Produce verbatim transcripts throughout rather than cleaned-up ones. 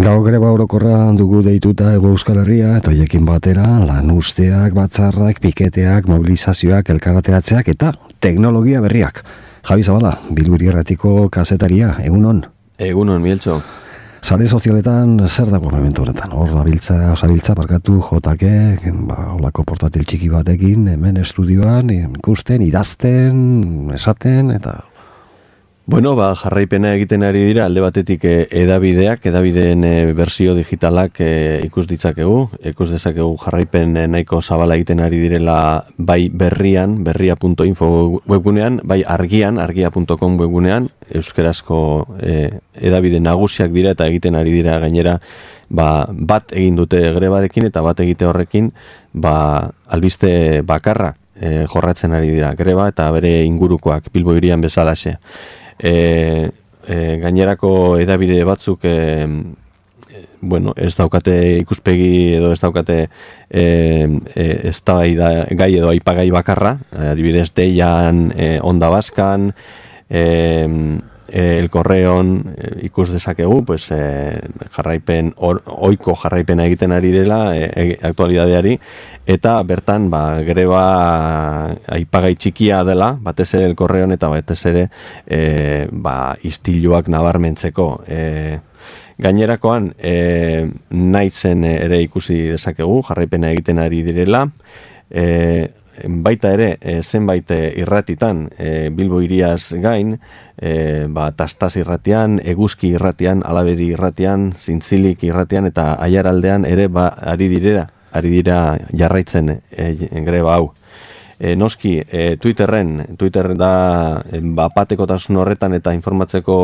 Gau greba orokorra dugu deituta Hego Euskal Herria, eta hoiekin batera lanuzteak, batzarrak, piketeak, mobilizazioak, elkarrateratzeak eta teknologia berriak. Javi Zabala, Bilburi Erratiko kazetaria, egunon? Egunon, Mieltxo. Sare sozialetan zer dago momentu honetan? Hor dabiltza, osabiltza, parkatu, jotake, ba, holako portatil txiki batekin, hemen estudioan, ikusten, idazten, esaten, eta... Bueno, ba, jarraipena egiten ari dira, alde batetik e, edabideak, edabideen e, bersio digitalak e, ikus ditzakegu, ikus dezakegu jarraipen e, nahiko zabala egiten ari direla bai berrian, berria punto info webgunean, bai argian, argia punto com webgunean, euskerazko e, edabide nagusiak dira eta egiten ari dira gainera, ba, bat egin dute grebarekin eta bat egite horrekin, ba, albiste bakarra e, jorratzen ari dira greba eta bere ingurukoak Bilbo hirian bezalaxe. E, e, gainerako edabide batzuk e, e, bueno, ez daukate ikuspegi edo ez daukate e, e, ez da gai edo aipagai bakarra, adibidez deian, e, Onda Baskan, e, e, El Correon e, ikus dezakegu, pues, e, jarraipen or, oiko jarraipena egiten ari dela e, aktualidadeari, eta bertan ba, greba aipagai txikia dela, batez ere El Correon eta batez ere e, ba, istiluak nabarmentzeko. E, gainerakoan e, naizen ere ikusi dezakegu, jarraipena egiten ari direla, e, baita ere e, zenbait irratitan e, Bilbo hiriaz gain, e, ba, Tastaz irratian, Eguzki irratian, Alabedi irratian, Zintzilik irratian eta Aiaraldean ere ba, ari direra, ari dira jarraitzen e, greba hau. E, noski, e, Twitterren, Twitter da e, ba, patekotasun horretan eta informatzeko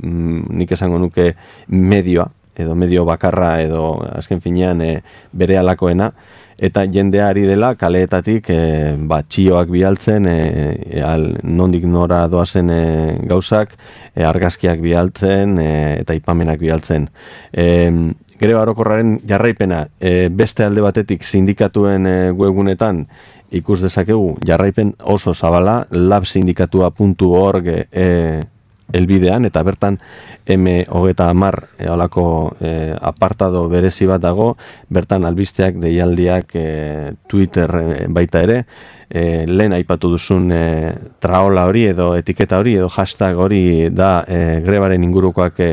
mm, nik esango nuke medioa, edo medio bakarra edo azken finean e, bere alakoena, eta jendea ari dela kaleetatik e, ba, txioak bialtzen, e, al, nondik nora doazen e, gauzak, e, argazkiak bialtzen e, eta ipamenak bialtzen. E, greba orokorraren jarraipena e, beste alde batetik sindikatuen e, webgunetan ikus dezakegu jarraipen oso zabala, labsindikatua puntu org e, elbidean, eta bertan M hogeita hamar e, olako e, apartado berezi bat dago, bertan albisteak, deialdiak, e, Twitter e, baita ere, e, lehen aipatu duzun e, traola hori edo etiketa hori edo hashtag hori da e, grebaren ingurukoak e,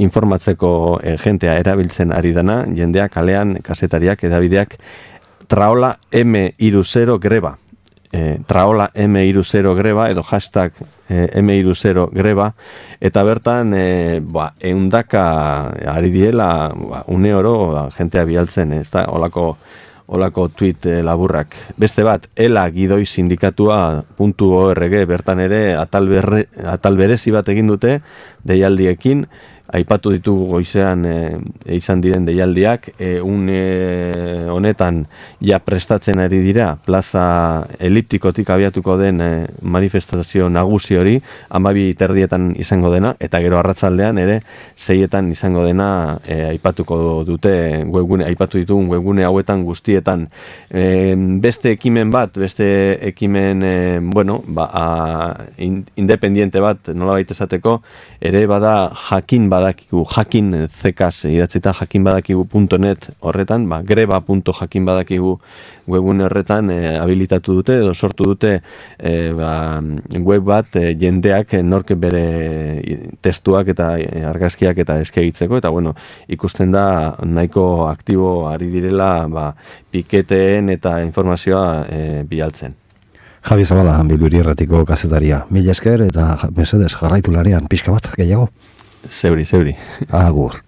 informatzeko e, jentea erabiltzen ari dana, jendea kalean, kazetariak, edabideak, traola M hiru greba. E, traola M hiru greba edo hashtag e, M hiru greba, eta bertan e, ba, eundaka ari diela ba, une oro ba, jentea bialtzen, ez da, olako, olako tweet e, laburrak. Beste bat, ela gidoi sindikatua puntu org bertan ere atal, berre, atal berezi bat egin dute deialdiekin, aipatu ditugu goizean e, izan diren deialdiak, e, une honetan ja prestatzen ari dira plaza eliptikotik abiatuko den e, manifestazio nagusi hori, hamabi terdietan izango dena, eta gero arratzaldean ere seietan izango dena e, aipatuko dute webgune, aipatu ditugun webgune hauetan guztietan. E, beste ekimen bat, beste ekimen e, bueno, ba, a, in, independiente bat nolabait esateko, ere bada jakin bat badakigu, jakin zekaz idatzita jakinbadakigu punto net horretan, ba, greba punto jakinbadakigu webune horretan e, habilitatu dute edo sortu dute e, ba, web bat e, jendeak nork bere testuak eta e, argazkiak eta eskegitzeko, eta bueno, ikusten da nahiko aktibo ari direla ba, piketeen eta informazioa e, bialtzen. Javi Zabala, Bilburi Erratiko kazetaria. Mila esker eta mesedez jarraitu lanean pixka bat gehiago. Zeuri, zeuri. Agur.